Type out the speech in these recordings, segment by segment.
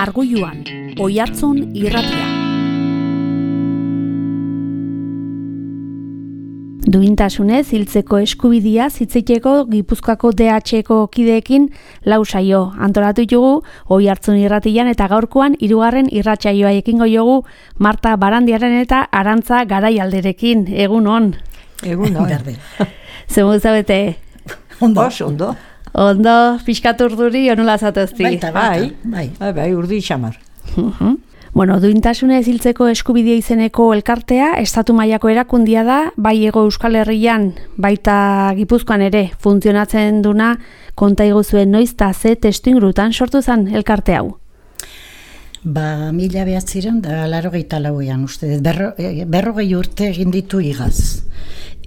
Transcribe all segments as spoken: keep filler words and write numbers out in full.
Margulluan, Oihartzun irratia. Duintasunez hiltzeko eskubidea zitziteko Gipuzkoako D H-ko kideekin lau saio antolatu ditugu Oihartzun irratian eta gaurkoan hirugarren irratsaioa ekingo jogu Marta Barandiaren eta Arantza Garaialderekin. Egun on. Egun on. Zemu zabete? Ondo, ondo. Ondo, pixkat urduri, onola zatozti? Baita, bai, bai, bai, bai, urdi xamar. Uh-huh. Bueno, duintasunez hiltzeko eskubidea izeneko elkartea, estatu mailako erakundia da, bai Hego Euskal Herrian, baita Gipuzkoan ere, funtzionatzen duna, konta iguzuen noiz eta ze testuingurutan sortu zen elkarte hau? Ba, mila behatziren da laurogeita lauean, uste, berro, berrogei urte egin ditu igaz.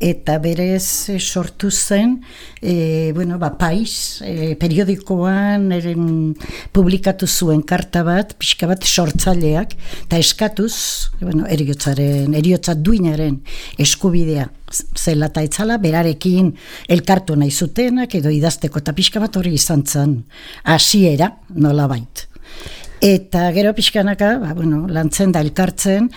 Eta berez sortu zen, e, bueno, ba, Pais, e, periodikoan eren, publikatu zuen karta bat, pixka bat sortzaileak, eta eskatuz, bueno, eriotzaren, eriotza duinaren eskubidea zela eta etzala, berarekin elkartu nahi zutenak, edo idazteko, eta pixka bat hori izan zen, hasiera nola bait. Eta gero pixkanaka, ba, bueno, lantzen da elkartzen,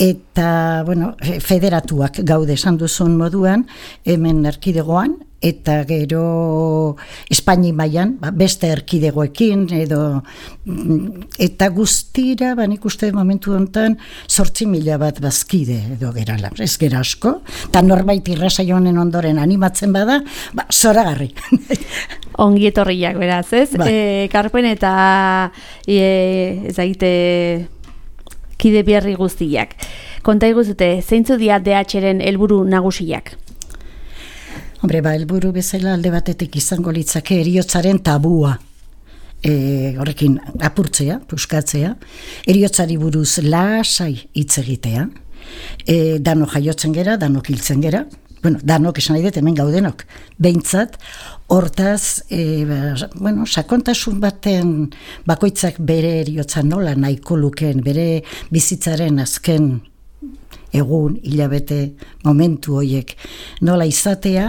eta bueno, federatuak gaude esan duzun moduan, hemen erkidegoan, eta gero Espaini mailan, ba, beste erkidegoekin, edo, eta guztira, ba, nik uste momentu honetan, zortzi mila bat bazkide, edo gerala, ez gera asko, eta norbait irrasaio honen ondoren animatzen bada, ba, zoragarri. Ongi etorriak, beraz, ez? Ba. E, karpen eta e, ez daite kide berri guztiak. Konta iguzute, zeintzu dira D H-ren helburu nagusiak? Hombre, ba, helburu bezala alde batetik izango litzake heriotzaren tabua. E, horrekin apurtzea, puskatzea, heriotzari buruz lasai hitz egitea, e, danok jaiotzen gera, danok hiltzen gera, bueno, danok esan nahi dut hemen gaudenok, behintzat, hortaz, e, bueno, sakontasun baten bakoitzak bere eriotza nola nahiko lukeen, bere bizitzaren azken egun, hilabete, momentu horiek nola izatea,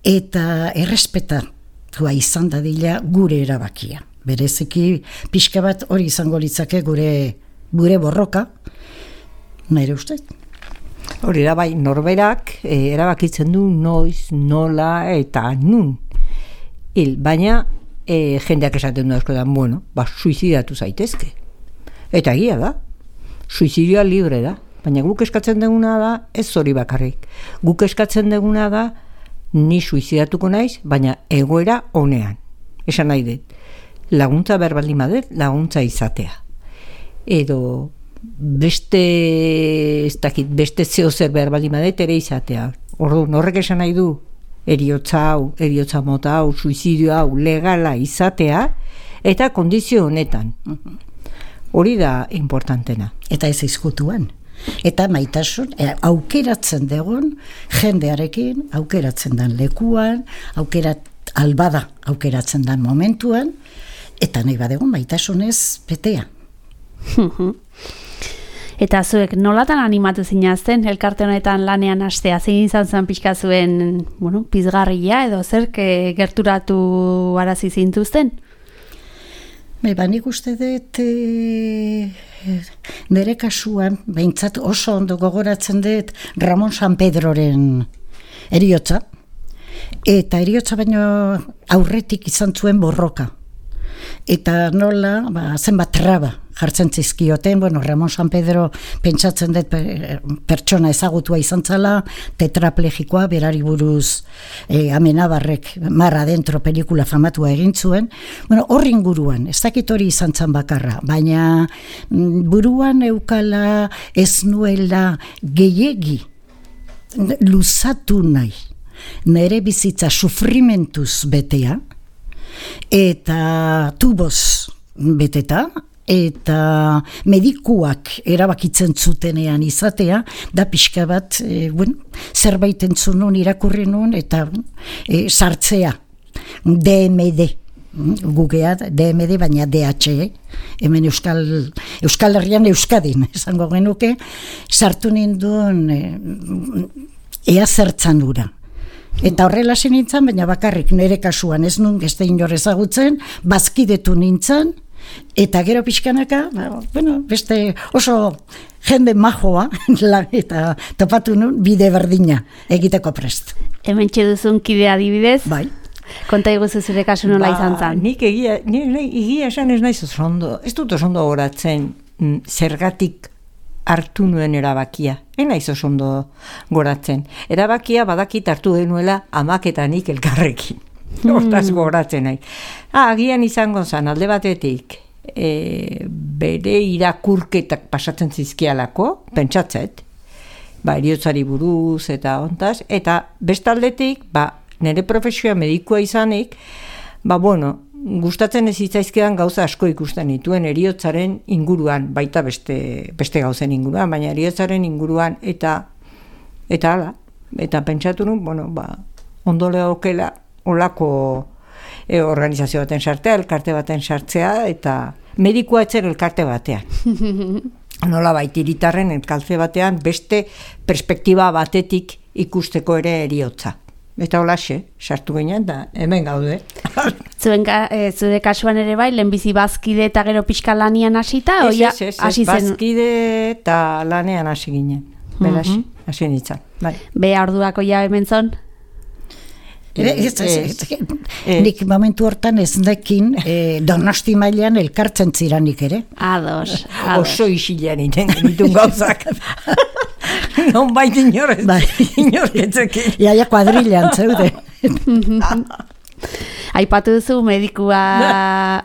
eta errespetatua izan dadila gure erabakia. Bereziki, pixka bat hori izango litzake gure, gure borroka, nire ustez. Hori da bai, norberak e, erabakitzen du noiz, nola eta nun. Hil, baina e, jendeak esaten du askotan, bueno, ba, suizidatu zaitezke. Eta egia da, suizidioa libre da. Baina guk eskatzen duguna da, ez hori bakarrik. Guk eskatzen duguna da, ni suizidatuko naiz, baina egoera honean. Esan nahi dut, laguntza berbaldin badet, laguntza izatea. Edo beste, ez dakit, beste zeo zer berbaldin badet ere izatea. Orduan, horrek esan nahi du, eriotza hau, eriotza mota hau, suizidio hau, legala izatea, eta kondizio honetan. Hori da importantena. Eta ez izkutuan. Eta maitasun, e, aukeratzen dugun jendearekin, aukeratzen den lekuan, aukerat, albada aukeratzen den momentuan, eta nahi badegun maitasunez betea. Eta zuek nolatan animatu zinazten elkarte honetan lanean hastea, zein izan zen pixka zuen, bueno, pizgarria edo zerk gerturatu arazi zintuzten? Ba, nik uste dut e, nire kasuan, behintzat oso ondo gogoratzen dut Ramon San Pedroren eriotza, eta eriotza baino aurretik izan zuen borroka. Eta nola, ba, zenbat traba jartzen zizkioten, bueno, Ramon San Pedro pentsatzen dut pertsona ezagutua izan zala, tetraplegikoa, berari buruz e, Amenabarrek Marra Dentro pelikula famatua egin zuen. Bueno, horri inguruan, ez dakit hori izan zan bakarra, baina mm, buruan eukala ez nuela gehiegi luzatu nahi, nere bizitza sufrimentuz betea, eta tuboz beteta, eta medikuak erabakitzen zutenean izatea, da pixka bat, e, bueno, zerbait entzun nun, irakurri nun, eta e, sartzea, D M D, gugea, D M D, baina D H, hemen Euskal, Euskal Herrian Euskadin, esango genuke, sartu ninduen e, ea zertzan ura. Eta horrela nintzen, baina bakarrik nire kasuan ez nun, ez da inor ezagutzen, bazkidetu nintzen, eta gero pixkanaka, bueno, beste oso jende majoa, eta topatu nun bide berdina egiteko prest. Hemen txeduzun kidea adibidez? Bai. Konta iguzu zure kasu nola izan zan? Nik egia, egia esan ez naiz oso ondo, ez dut oso ondo goratzen zergatik hartu nuen erabakia. Ez naiz oso ondo goratzen. Erabakia badakit hartu genuela amak eta nik elkarrekin. Hortaz goratzen nahi. Ah, agian izango zan, alde batetik, e, bere irakurketak pasatzen zizkialako, pentsatzet, ba, eriotzari buruz eta ontaz, eta bestaldetik, ba, nire profesioa medikua izanik, ba, bueno, gustatzen ez hitzaizkedan gauza asko ikusten dituen eriotzaren inguruan, baita beste, beste gauzen inguruan, baina eriotzaren inguruan, eta eta hala, eta pentsatu nun, bueno, ba, ondole okela, olako e, organizazio baten sartzea, elkarte baten sartzea, eta medikua etzen elkarte batean. Nola baita hiritarren elkarte batean, beste perspektiba batetik ikusteko ere eriotza. Eta holaxe, sartu ginen, da hemen gaude. Zuen, e, zure kasuan ere bai, lehenbizi bazkide eta gero pixka lanian hasita? Ez, ez, ez, ez, bazkide eta lanean hasi ginen. Beraz, hasi nintzen. Bai. Beha orduako ja hemen zon? Nik momentu hortan ez nekin eh, Donosti mailean elkartzen ziranik ere. Ados, ados. Oso isilean iten genitun gauzak. Non bait inorez, bai. Inorretzekin. Iaia kuadrilean zeude. Aipatu duzu medikua,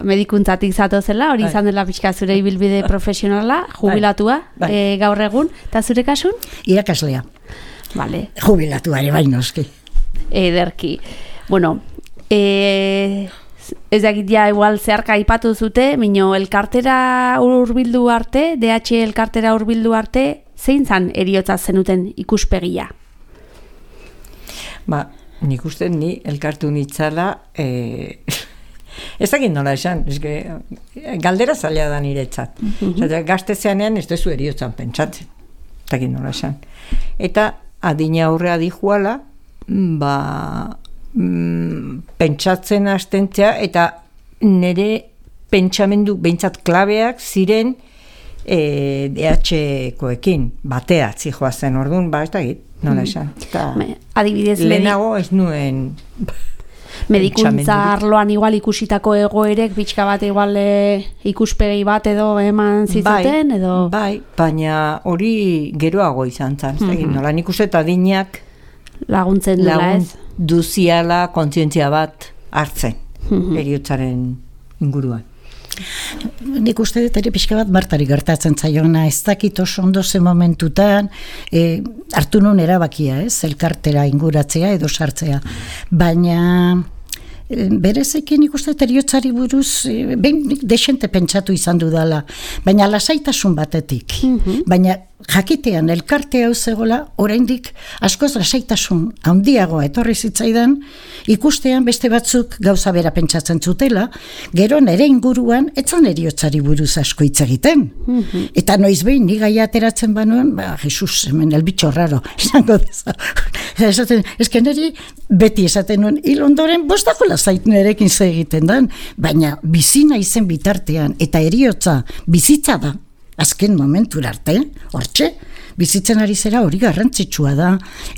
medikuntzatik zatozela, hori izan dela pixka zure ibilbide profesionala, jubilatua, bai. Bai. E, gaur egun, eta zure kasun? Irakaslea. Vale. Jubilatua ere bai noski. Ederki. Bueno, e, ez dakit ja igual zeharka aipatu zute, mino elkartera hurbildu arte, D H elkartera hurbildu arte, zein zan eriotza zenuten ikuspegia? Ba, nik uste ni elkartu nitzala, e, ez dakit nola esan, eske, galdera zaila da niretzat. Mm-hmm. Gaztezeanean ez duzu eriotzan pentsatzen, ez dakit nola esan. Eta adina aurrea dijuala, ba, mm, pentsatzen hastentzea eta nire pentsamendu behintzat klabeak ziren e, D H-koekin batea zijoa zen orduan, ba, ez da git, nola esan. Me, adibidez, lehenago ez nuen medikuntza arloan igual ikusitako egoerek pixka bat igual e, ikuspegi bat edo eman zizaten, bai, edo... Bai, baina hori geroago izan zen, ez da git, nola nik uste eta dinak laguntzen dela ez? Duziala kontzientzia bat hartzen, eriotzaren inguruan. Nik uste dut ere pixka bat Martari gertatzen zaiona, ez dakit oso ondo ze momentutan, e, hartu nun erabakia, ez, elkartera inguratzea edo sartzea, baina e, berezekin nik uste dut eriotzari buruz, e, behin desente pentsatu izan dudala, baina lasaitasun batetik, mm-hmm. baina jakitean elkarte hau zegoela, oraindik askoz lasaitasun handiagoa etorri zitzaidan, ikustean beste batzuk gauza bera pentsatzen zutela, gero nere inguruan etzan eriotzari buruz asko hitz egiten. Mm-hmm. Eta noiz behin ni gaia ateratzen banuen, ba, Jesus, hemen el bitxo raro, esango deza. Esaten, eske neri beti esaten nuen, hil ondoren bostako lasait nerekin ze egiten dan, baina bizina izen bitartean, eta eriotza bizitza da, azken momentura arte, hortxe, bizitzen ari zera hori garrantzitsua da,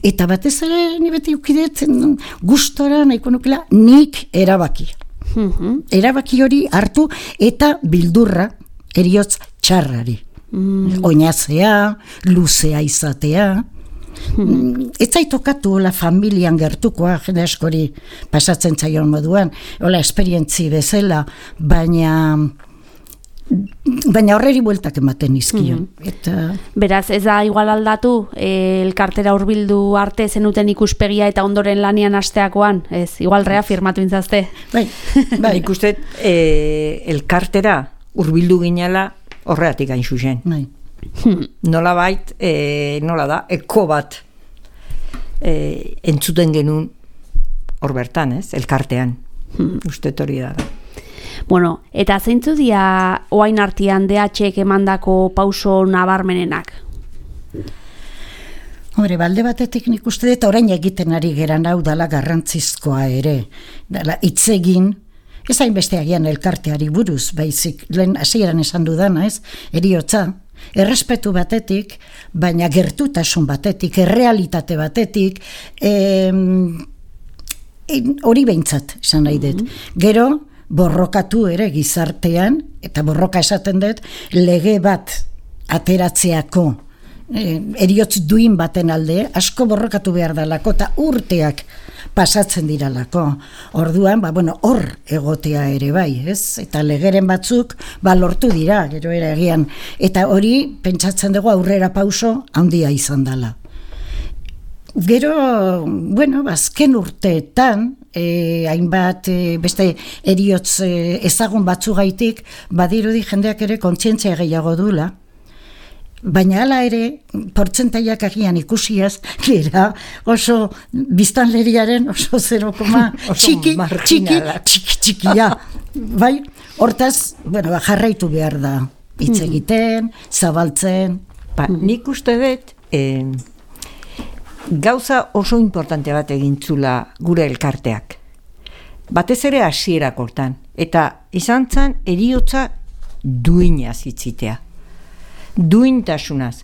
eta batez ere ni beti ukidetzen gustora nahiko nukela nik erabaki. Mm-hmm. Erabaki hori hartu eta bildurra eriotz txarrari. Mm. Oinazea, luzea izatea, mm. ez zaitokatu la familian gertukoa, jende askori pasatzen zaion moduan, hola esperientzi bezala, baina... baina horreri bueltak ematen izkio. Mm-hmm. Eta... Beraz, ez da igual aldatu, e, elkartera hurbildu arte zenuten ikuspegia eta ondoren lanian hasteakoan, ez, igual reafirmatu intzazte. Bai, bai. Ikustet, e, elkartera hurbildu ginela horreatik gain zuzen. Bai. Nola bait, e, nola da, eko bat e, entzuten genuen hor bertan, ez, elkartean. Hmm. Ustet hori da da. Bueno, eta zeintzu dia oain artean D H-ek emandako pauso nabarmenenak? Hombre, balde batetik nik uste dut orain egiten ari geran hau dala garrantzizkoa ere. Dala, hitz egin Ez hainbeste agian elkarteari buruz, baizik, lehen hasieran esan dudana, ez, eriotza, errespetu batetik, baina gertutasun batetik, errealitate batetik, em, hori behintzat, esan nahi dut. Gero, borrokatu ere gizartean, eta borroka esaten dut, lege bat ateratzeako, eh, eriotz duin baten alde, asko borrokatu behar dalako, eta urteak pasatzen diralako. Orduan, ba, bueno, hor egotea ere bai, ez? Eta legeren batzuk, ba, lortu dira, gero ere egian. Eta hori, pentsatzen dugu aurrera pauso, handia izan dela. Gero, bueno, azken urteetan, eh, hainbat eh, beste eriotz eh, ezagun batzugaitik, badirudi jendeak ere kontzientzia gehiago dula, baina hala ere, portzentaiak agian ikusiaz, gera oso biztanleriaren oso zero koma txiki, txiki, txiki, txikia. Bai, hortaz, bueno, ba, jarraitu behar da, hitz egiten, zabaltzen. Ba, nik uste dut, eh, gauza oso importante bat egintzula gure elkarteak. Batez ere hasierak hortan. Eta izan zen eriotza duinaz hitzitea. Duintasunaz.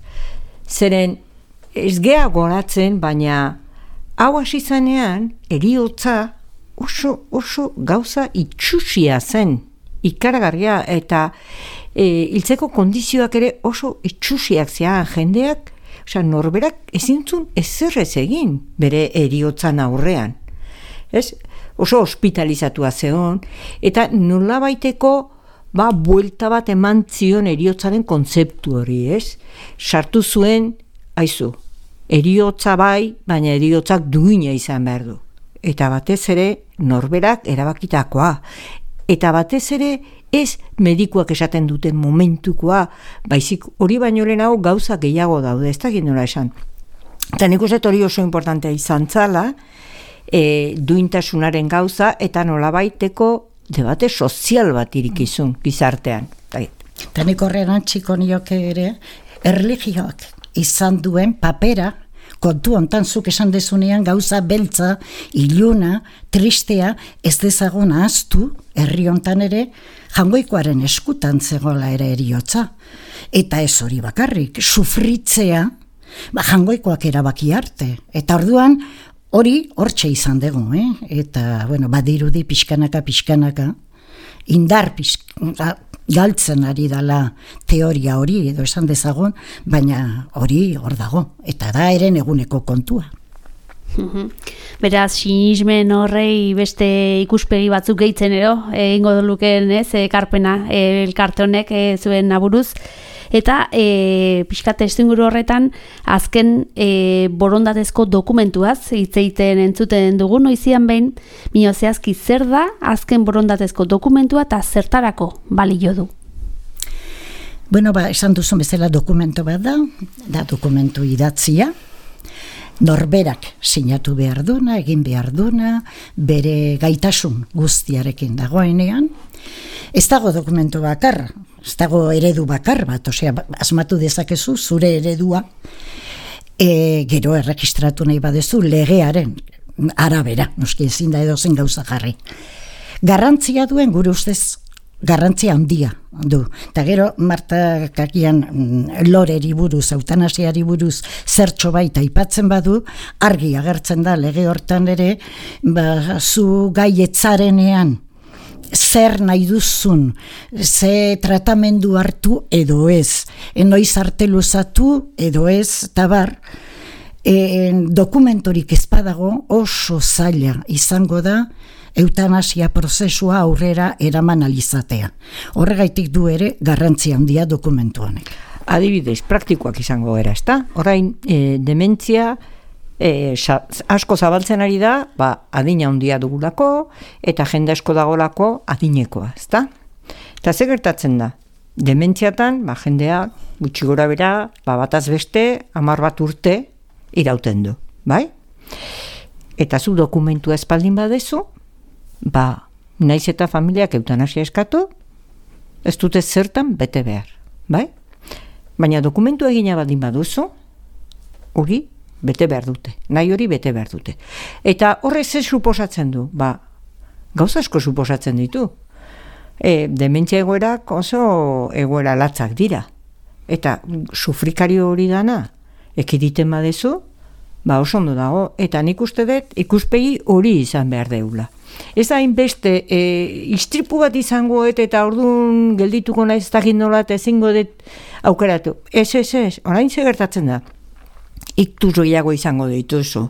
Zeren ez gea goratzen, baina hau hasi zanean eriotza oso, oso gauza itxusia zen. Ikaragarria eta e, hiltzeko kondizioak ere oso itxusiak zean jendeak. Osea, norberak ezintzun ezerrez egin bere eriotzan aurrean. Ez? Oso hospitalizatua zeon, eta nolabaiteko ba, buelta bat eman zion eriotzaren kontzeptu hori, ez? Sartu zuen, aizu, eriotza bai, baina eriotzak duina izan behar du. Eta batez ere, norberak erabakitakoa. Eta batez ere, ez medikuak esaten duten momentukoa, baizik hori baino lehen hau gauza gehiago daude, ez da gindola esan. Eta nik uste hori oso importantea izan zala, e, duintasunaren gauza, eta nolabaiteko debate sozial bat irikizun gizartean. Eta nik horrean txiko nioke ere, erlijioak izan duen papera, kontu hontan zuk esan dezunean gauza beltza, iluna, tristea, ez dezagun ahaztu, herri hontan ere, Jangoikoaren eskutan zegoela ere eriotza. Eta ez hori bakarrik, sufritzea, ba, Jangoikoak erabaki arte. Eta orduan, hori hortxe izan dugu, eh? Eta, bueno, badirudi pixkanaka, pixkanaka, indar pixkanaka, galtzen ari dala teoria hori, edo esan dezagun, baina hori hor dago. Eta da eren eguneko kontua. Beraz, sinismen horrei beste ikuspegi batzuk gehitzen ero, egingo doluken ez, ekarpena, elkarte honek zuen aburuz. Eta e, pixkate estinguru horretan, azken e, borondatezko dokumentuaz, hitz egiten entzuten dugu noizian behin, mino zehazki zer da azken borondatezko dokumentua eta zertarako balio du? Bueno, ba, esan duzun bezala dokumento bat da, da dokumentu idatzia, norberak sinatu behar duna, egin behar duna, bere gaitasun guztiarekin dagoenean. Ez dago dokumentu bakar, ez dago eredu bakar bat, osea, asmatu dezakezu zure eredua, e, gero erregistratu nahi badezu legearen arabera, noski ezin da edozen gauza jarri. Garrantzia duen gure ustez, garrantzia handia du. Eta gero, Marta kakian loreri buruz, eutanasiari buruz zertxo baita aipatzen badu, argi agertzen da lege hortan ere, ba, zu gaietzarenean zer nahi duzun, ze tratamendu hartu edo ez, enoiz arte luzatu edo ez, tabar, e, dokumentorik ezpadago oso zaila izango da, eutanasia prozesua aurrera eraman alizatea. Horregaitik du ere garrantzia handia dokumentu honek. Adibidez, praktikoak izango gara, ezta? Orain, e, dementzia e, sa, asko zabaltzen ari da, ba, adina handia dugulako, eta jende asko dagolako adinekoa, ezta? Eta ze gertatzen da? Dementziatan, ba, jendea, gutxi gora bera, ba, bataz beste, hamar bat urte irauten du, bai? Eta zu dokumentua espaldin badezu, ba, naiz eta familiak eutanasia eskatu, ez dute zertan bete behar, bai? Baina dokumentu egina badin baduzu, hori bete behar dute, nahi hori bete behar dute. Eta horrez ez suposatzen du, ba, gauza asko suposatzen ditu. E, dementzia egoerak oso egoera latzak dira. Eta sufrikario hori dana, ekiditen badezu, ba oso ondo dago. Eta nik uste dut ikuspegi hori izan behar deula. Ez da inbeste, e, istripu bat izango et, eta orduan geldituko naiz dakit nola eta ezingo dut aukeratu. Ez, ez, ez, orain ze gertatzen da. Iktus gehiago izango dituzu,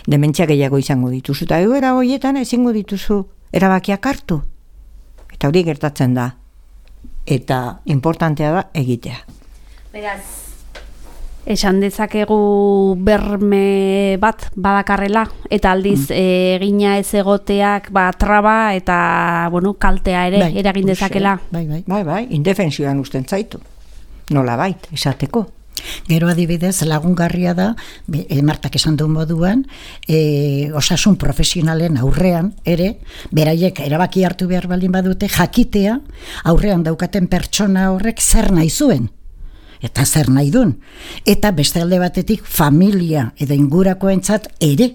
dementzia gehiago izango dituzu, eta egoera horietan ezingo dituzu erabakiak hartu. Eta hori gertatzen da. Eta importantea da egitea. Beraz, esan dezakegu berme bat badakarrela, eta aldiz mm. egina ez egoteak ba, traba eta bueno, kaltea ere bai, eragin dezakela. Bai, bai, bai, bai, indefensioan usten zaitu. Nola bait, esateko. Gero adibidez lagungarria da, e, Martak esan duen moduan, e, osasun profesionalen aurrean ere, beraiek erabaki hartu behar baldin badute, jakitea aurrean daukaten pertsona horrek zer nahi zuen. Eta zer nahi duen. Eta beste alde batetik familia edo ingurakoentzat ere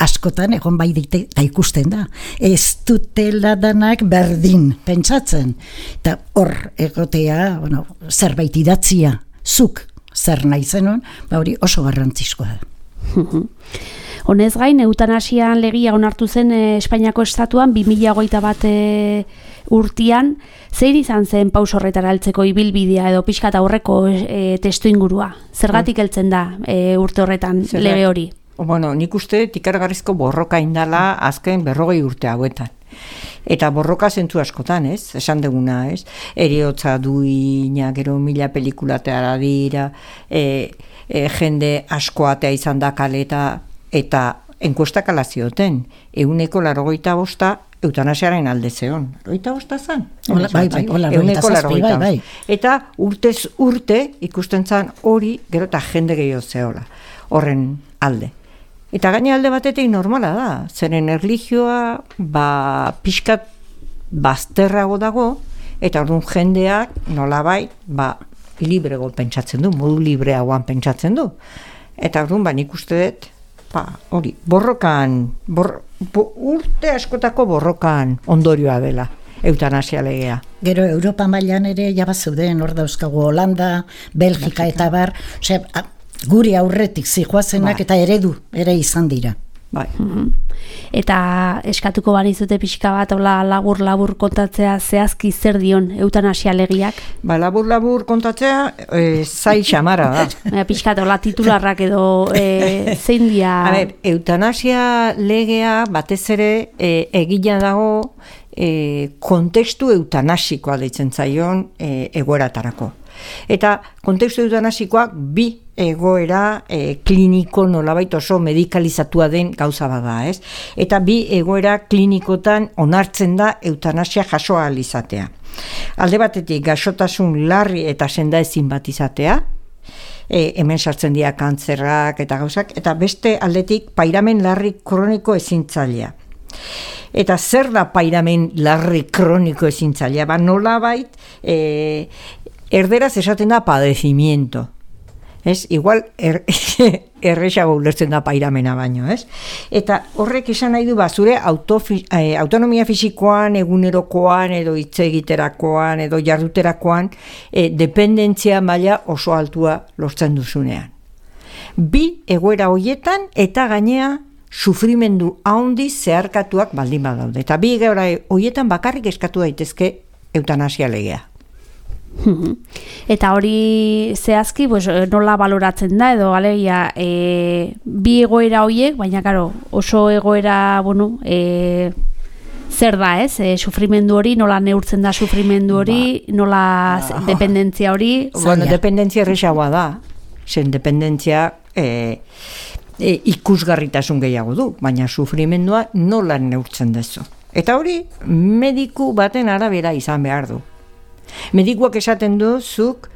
askotan egon bai dite eta ikusten da. Ez dutela danak berdin pentsatzen. Eta hor egotea, bueno, zerbait idatzia, zuk zer nahi zenun, ba hori oso garrantzizkoa da. Honez gain, eutanasian legia onartu zen eh, Espainiako estatuan bi mila hogeita bat eh, urtian, zer izan zen paus horretara heltzeko ibilbidea edo pixkat aurreko eh, testu ingurua? Zergatik heltzen da eh, urte horretan Zerrat, lege hori? Bueno, nik uste ikaragarrizko borroka indala azken berrogei urte hauetan. Eta borroka zentzu askotan, ez? Esan deguna, ez? Heriotza duina, gero mila pelikulateara dira, e, e, jende askoatea izan da kaleta, eta enkuestak ala zioten, euneko larogeita bosta eutanasiaren alde zeon. Larogeita bosta zan? Ola, bai, bai, hola, euneko larogeita bai, bai. Eta urtez urte ikusten zan hori, gero eta jende gehiago zeola, horren alde. Eta gaine alde batetik normala da, zeren erlijioa ba, pixkat bazterrago dago, eta orduan jendeak nolabait ba, librego pentsatzen du, modu libreagoan pentsatzen du. Eta orduan ba, nik uste dut, ba, hori, borrokan, bor, bo, urte askotako borrokan ondorioa dela. Eutanasia legea. Gero Europa mailan ere jabazeuden hor dauzkagu Holanda, Belgika eta bar, osea, guri aurretik zijoazenak bai. Eta eredu ere izan dira. Bai. Mm-hmm. Eta eskatuko banizute pixka bat hola labur-labur kontatzea zehazki zer dion eutanasia legiak? Ba, labur-labur kontatzea e, zai xamara da. Baina pixka hola titularrak edo e, zein dia... A ber, eutanasia legea batez ere e, egina dago e, kontekstu eutanasikoa deitzen zaion e, egoeratarako. Eta kontekstu eutanasikoak bi egoera e, kliniko nolabait oso medikalizatua den gauza bada, ez? Eta bi egoera klinikotan onartzen da eutanasia jaso ahal izatea. Alde batetik gaixotasun larri eta sendaezin bat izatea, e, hemen sartzen dira kantzerrak eta gauzak, eta beste aldetik pairamen larri kroniko ezintzailea. Eta zer da pairamen larri kroniko ezintzailea? Ba, nolabait e, erderaz esaten da padecimiento. Ez, igual er, erresago ulertzen da pairamena baino, ez? Eta horrek esan nahi du ba, zure autofi, eh, autonomia fisikoan, egunerokoan, edo hitz egiterakoan, edo jarduterakoan, eh, dependentzia maila oso altua lortzen duzunean. Bi egoera hoietan eta gainea sufrimendu handi zeharkatuak baldin badaude. Eta bi egoera hoietan bakarrik eskatu daitezke eutanasia legea. Eta hori zehazki pues, nola baloratzen da edo alegia e, bi egoera horiek, baina karo, oso egoera bueno, e, zer da ez, e, sufrimendu hori, nola neurtzen da sufrimendu hori, ba, nola ba, dependentzia hori. Bueno, dependentzia erresagoa da, zen dependentzia e, e, ikusgarritasun gehiago du, baina sufrimendua nola neurtzen dezu. Eta hori mediku baten arabera izan behar du. Medikuak esaten du zuk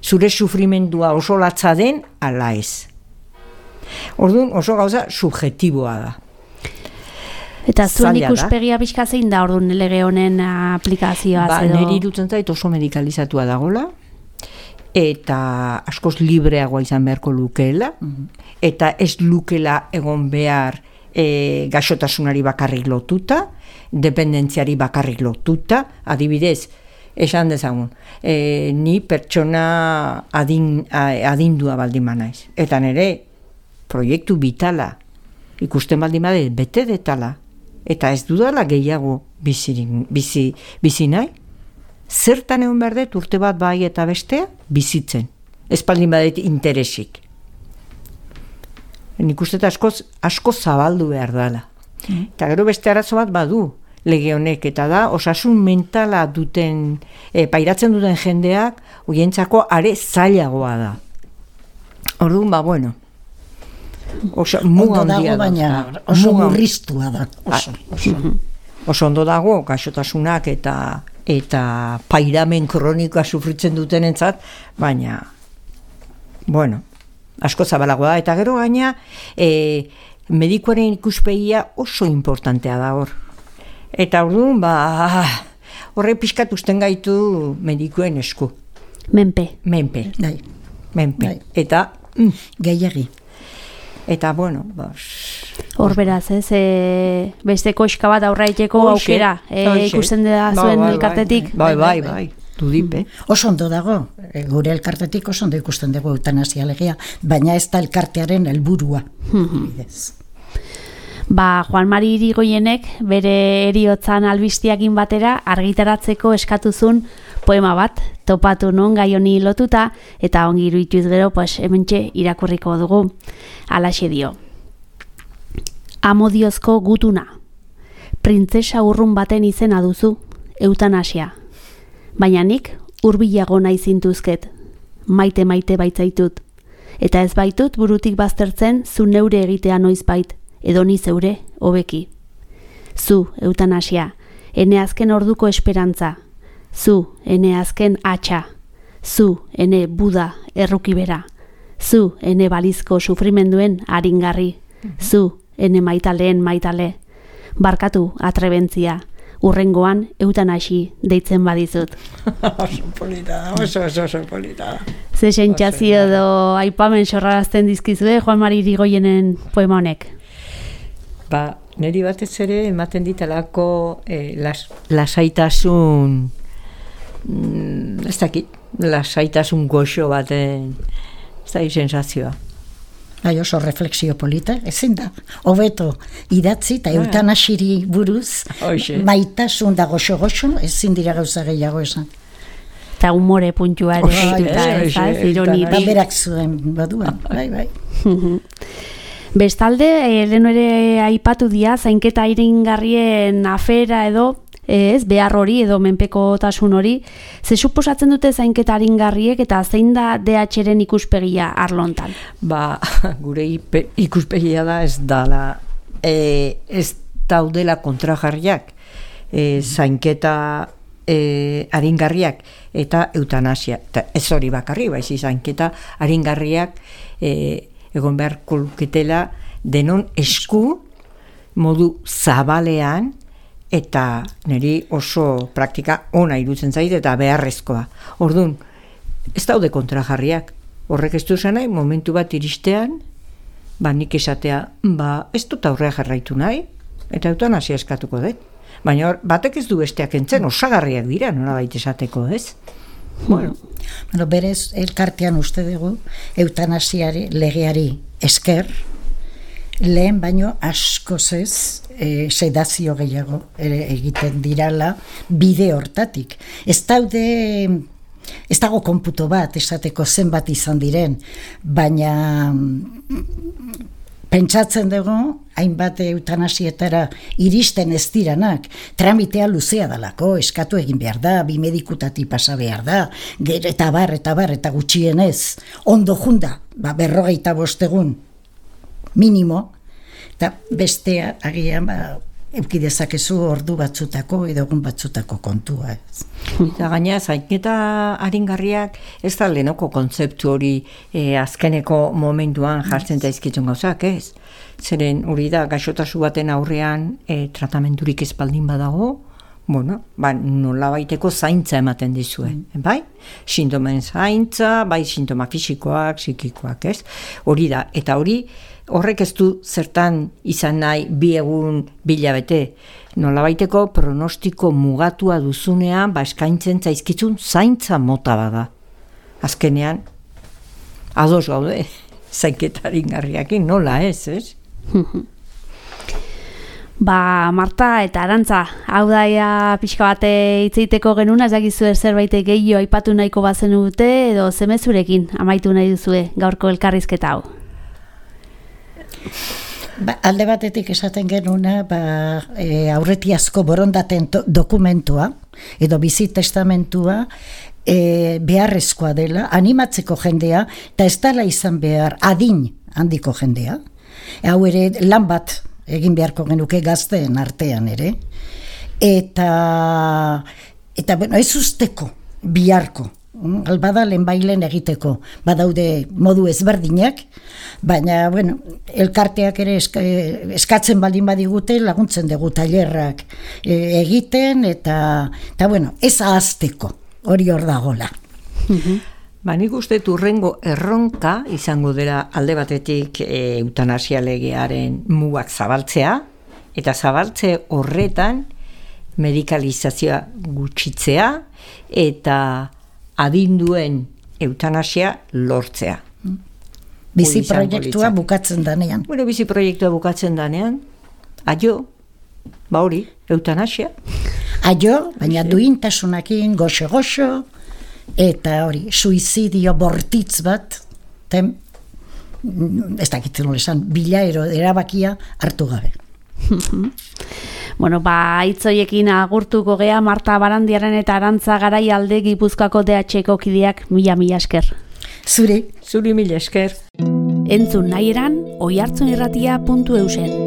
zure sufrimendua oso latza den ala ez. Orduan oso gauza subjektiboa da. Eta zuen ikuspegia pixka zein da orduan lege honen aplikazioa? Ba, niri irutzen zait oso medikalizatua dagola, eta askoz libreagoa izan beharko lukeela, mm-hmm. eta ez lukela egon behar e, gaixotasunari bakarrik lotuta, dependentziari bakarrik lotuta, adibidez, esan dezagun, e, ni pertsona adin, adindua baldin manaiz. Eta nire proiektu vitala ikusten baldin bade bete detala, eta ez dudala gehiago bizirin, bizi, bizi nahi, zertan egon behar dut urte bat bai eta bestea bizitzen. Ez baldin badet interesik. Nik uste asko, asko zabaldu behar dela. Mm. Eta gero beste arazo bat badu lege honek, eta da osasun mentala duten, e, pairatzen duten jendeak, hoientzako are zailagoa da. Orduan, ba, bueno, oso, ondo dago, baina oso murriztua da. Oso, oso. oso ondo dago, gaixotasunak eta eta pairamen kronikoa sufritzen dutenentzat, baina, bueno, asko zabalagoa da, eta gero gaina, e, medikuaren ikuspegia oso importantea da hor. Eta orduan, ba, horre pixkat usten gaitu medikuen esku. Menpe. Menpe. Dai. Menpe. Dai. Eta, mm, gehiagi. Eta, bueno, ba... Hor beraz, ez, e, beste koska bat aurraiteko aukera, e, ikusten da zuen ba, elkartetik. Bai, bai, bai, bai, dudipe. Oso ondo dago, gure elkartetik oso ondo ikusten dugu eutanasia legea, baina ez da elkartearen helburua. Yes. Ba, Juan Mari Irigoienek bere heriotzan albistiakin batera argitaratzeko eskatuzun poema bat, topatu non gai honi lotuta, eta ongi iruituz gero, pues, hementxe irakurriko dugu. Halaxe dio. Amodiozko gutuna. Printzesa urrun baten izena duzu, eutanasia. Baina nik hurbilago nahi zintuzket, maite maite baitzaitut. Eta ez baitut burutik baztertzen zu neure egitea noiz bait, edo ni zeure, hobeki. Zu, eutanasia, ene azken orduko esperantza. Zu, ene azken atxa. Zu, ene Buda, errukibera. Zu, ene balizko sufrimenduen aringarri. Zu, ene maitaleen maitale. Barkatu atrebentzia. Urrengoan eutanasi deitzen badizut. Oso polita da, oso, oso, oso polita da. Ze sentsazio edo aipamen sorrarazten dizkizue Juan Mari Irigoienen poema honek? Ba, niri batez ere ematen ditalako eh, las, lasaitasun, mm, ez dakit, lasaitasun goxo baten, ez da sensazioa. Bai, oso refleksio polita, ezin da, hobeto idatzi eta eutanasiri buruz, Oixe. maitasun da goxo-goxo, ezin dira gauza gehiago esan. Eta humore puntua ere, eta ez, ez, ironirik. Ba, berak zuen baduan, bai, bai. Bestalde, lehen ere aipatu dia, zainketa iringarrien afera edo, ez, behar hori edo menpekotasun hori, ze suposatzen dute zainketa aringarriek eta zein da D H-ren ikuspegia arlontan? Ba, gure ikuspegia da ez dala, e, ez daudela kontrajarriak, e, zainketa e, aringarriak eta eutanasia. Eta ez hori bakarri, baizi zainketa aringarriak e, egon beharko luketela denon esku modu zabalean, eta niri oso praktika ona irutzen zait eta beharrezkoa. Orduan, ez daude kontrajarriak. Horrek ez du nahi, momentu bat iristean, ba nik esatea, ba ez dut aurrea jarraitu nahi, eta eutanasia eskatuko dut. Baina hor, batek ez du besteak entzen, osagarriak dira, nolabait esateko, ez? Bueno. Bueno, berez, elkartean uste dugu, eutanasiari legeari esker, lehen baino askoz ez, e, sedazio gehiago ere egiten dirala bide hortatik. Ez daude, ez dago konputo bat esateko zenbat izan diren, baina pentsatzen dugu, hainbat eutanasietara iristen ez diranak, tramitea luzea dalako, eskatu egin behar da, bi medikutati pasa behar da, gero eta bar, eta bar, eta gutxienez, ondo junda, ba, berrogeita bostegun, minimo, eta bestea agian ba, euki dezakezu ordu batzutako edo egun batzutako kontua. Ez. Eta gaina zainketa aringarriak ez da lehenoko kontzeptu hori e, azkeneko momentuan jartzen daizkitzen gauzak, ez? Zeren hori da gaixotasu baten aurrean e, tratamenturik ez baldin badago, bueno, ba, nola baiteko zaintza ematen dizue, mm. bai? Sintomen zaintza, bai sintoma fisikoak, psikikoak, ez? Hori da, eta hori, horrek ez du zertan izan nahi bi egun bilabete, nola baiteko pronostiko mugatua duzunean, ba, eskaintzen zaizkitzun zaintza mota bada. Azkenean, ados gaude, zainketarin garriakin, nola ez, ez? Ba, Marta eta Arantza, hau daia pixka bate hitzeiteko genuna, ez dakizu zerbait gehiago aipatu nahiko bazen dute, edo zemezurekin amaitu nahi duzue gaurko elkarrizketa hau. Ba, alde batetik esaten genuna, ba, e, aurretiazko borondaten dokumentua, edo bizi testamentua, e, beharrezkoa dela, animatzeko jendea, eta ez dela izan behar adin handiko jendea. Hau ere lan bat egin beharko genuke gazteen artean ere, eta eta bueno, ez usteko biharko, albada lehenbailen egiteko, badaude modu ezberdinak, baina bueno, elkarteak ere eska, eskatzen baldin badigute laguntzen dugu tailerrak e, egiten, eta, eta bueno, ez ahazteko, hori hor dagola. Ba, nik uste urrengo erronka izango dela alde batetik e, eutanasia legearen mugak zabaltzea, eta zabaltze horretan medikalizazioa gutxitzea eta adinduen eutanasia lortzea. Bizi proiektua bukatzen danean. Bueno, bizi proiektua bukatzen danean, aio, ba hori, eutanasia. Aio, baina duintasunakin, goxo-goxo, eta hori, suizidio bortitz bat, ten, ez dakitzen nola esan, bilaero erabakia hartu gabe. Bueno, ba, hitzoiekin agurtuko gea Marta Barandiaren eta Arantza Garaialde Gipuzkoako D H-ko kideak mila-mila esker. Zuri. Zuri mila esker. Entzun nahi eran, oihartzunirratia puntu eusen.